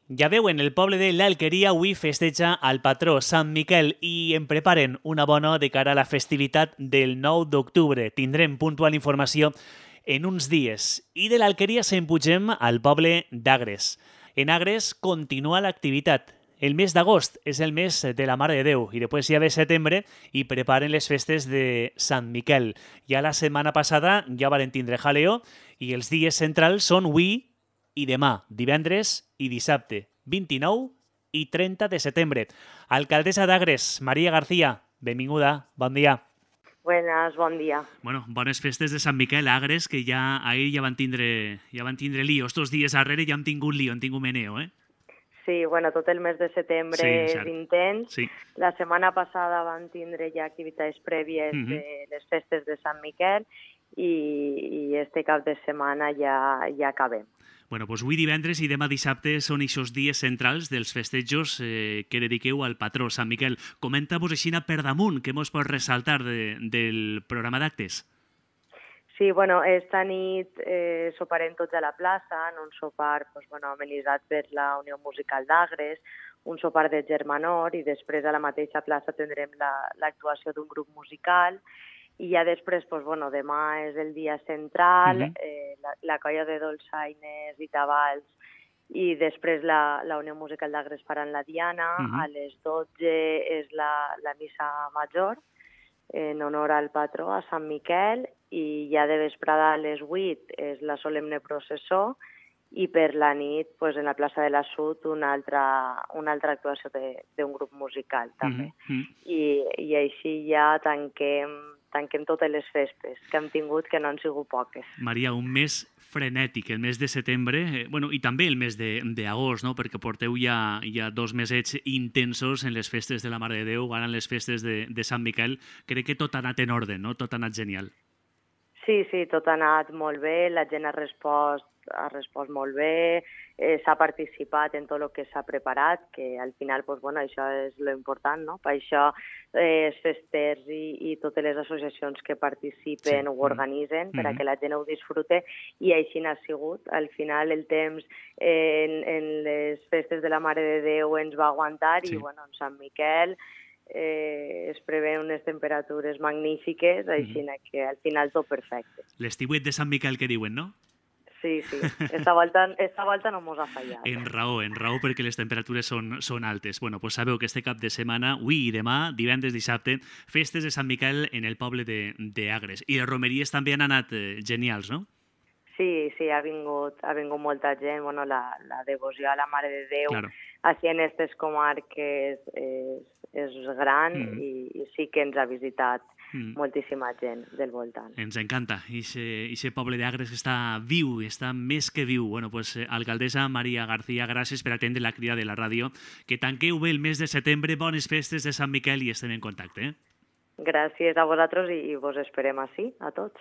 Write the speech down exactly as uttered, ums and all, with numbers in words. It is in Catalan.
Ja veuen, el poble de l'Alqueria avui festeja el patró Sant Miquel i en preparen una bona de cara a la festivitat del nou d'octubre. Tindrem puntual informació en uns dies. I de l'Alqueria se'n pugem al poble d'Agres. En Agres continua l'activitat. El mes d'agost és el mes de la Mare de Déu i després ja ve setembre i preparen les festes de Sant Miquel. Ja la setmana passada ja varen tindre jaleo i els dies centrals són avui i demà, divendres i dissabte, vint-i-nou i trenta de setembre. Alcaldessa d'Agres, Maria García, benvinguda, bon dia. Buenas, bon dia. Bueno, bones festes de Sant Miquel a Agres, que ja ahir ja van tindre, ja van tindre lío. Estos dies darrere ja hem tingut lío, hem tingut meneo, eh? Sí, bueno, tot el mes de setembre sí, és intens. Sí. La setmana passada van tindre ja activitats prèvies uh -huh. de les festes de Sant Miquel i, i este cap de setmana ja, ja acabem. Bueno, doncs avui divendres i demà dissabte són aquests dies centrals dels festejos eh, que dediqueu al patró Sant Miquel. Comenta-vos així per damunt, què mos pots ressaltar de, del programa d'actes? Sí, bueno, esta nit eh, soparem tots a la plaça, en un sopar pues, bueno, amenitzat per la Unió Musical d'Agres, un sopar de germanor i després a la mateixa plaça tindrem l'actuació la, d'un grup musical. I ja després, doncs, bueno, demà és el dia central, uh-huh. eh, la, la colla de dolçaines i tabals, i després la, la Unió Musical d'Agres faran la Diana, uh-huh. a les dotze és la, la missa major, en honor al patró, a Sant Miquel, i ja de vesprada a les vuit és la solemne processó, i per la nit, pues, en la plaça de la Sud, una altra, una altra actuació d'un grup musical, també. Uh-huh. I, I així ja tanquem tanquem totes les festes que hem tingut, que no han sigut poques. Maria, un mes frenètic, el mes de setembre, eh, bueno, i també el mes d'agost, no? Perquè porteu ja, ja dos mesets intensos en les festes de la Mare de Déu, ara en les festes de, de Sant Miquel. Crec que tot ha anat en ordre, no? Tot ha anat genial. Sí, sí, tot ha anat molt bé, la gent ha respost, ha respost molt bé, eh, s'ha participat en tot el que s'ha preparat, que al final, pues, bueno, això és lo important, no? Per això eh, els festers i, i totes les associacions que participen sí. ho organitzen, mm-hmm. perquè la gent ho disfrute, i així n'ha sigut. Al final el temps eh, en, en les festes de la Mare de Déu ens va aguantar sí. i, bueno, en Sant Miquel Eh, es preveuen unes temperatures magnífiques, així mm-hmm. que al final tot perfecte. L'estiuet de Sant Miquel que diuen, no? Sí, sí. Esta volta, esta volta no mos ha fallat. En raó, en raó, perquè les temperatures són, són altes. Bueno, pues sabeu que este cap de setmana, avui i demà, divendres, dissabte, festes de Sant Miquel en el poble d'Agres. I les romeries també han anat eh, genials, no? Sí, sí, ha vingut, ha vingut molta gent. Bueno, la, la devoció a la Mare de Déu, claro. així en aquestes comarques és, és gran mm. i, i sí que ens ha visitat mm. moltíssima gent del voltant. Ens encanta. Ixe poble d'Agres està viu, està més que viu. Bueno, pues, alcaldessa Maria García, gràcies per atendre la crida de la ràdio. Que tanqueu bé el mes de setembre, bones festes de Sant Miquel i estem en contacte. Eh? Gràcies a vosaltres i, i vos esperem així, a tots.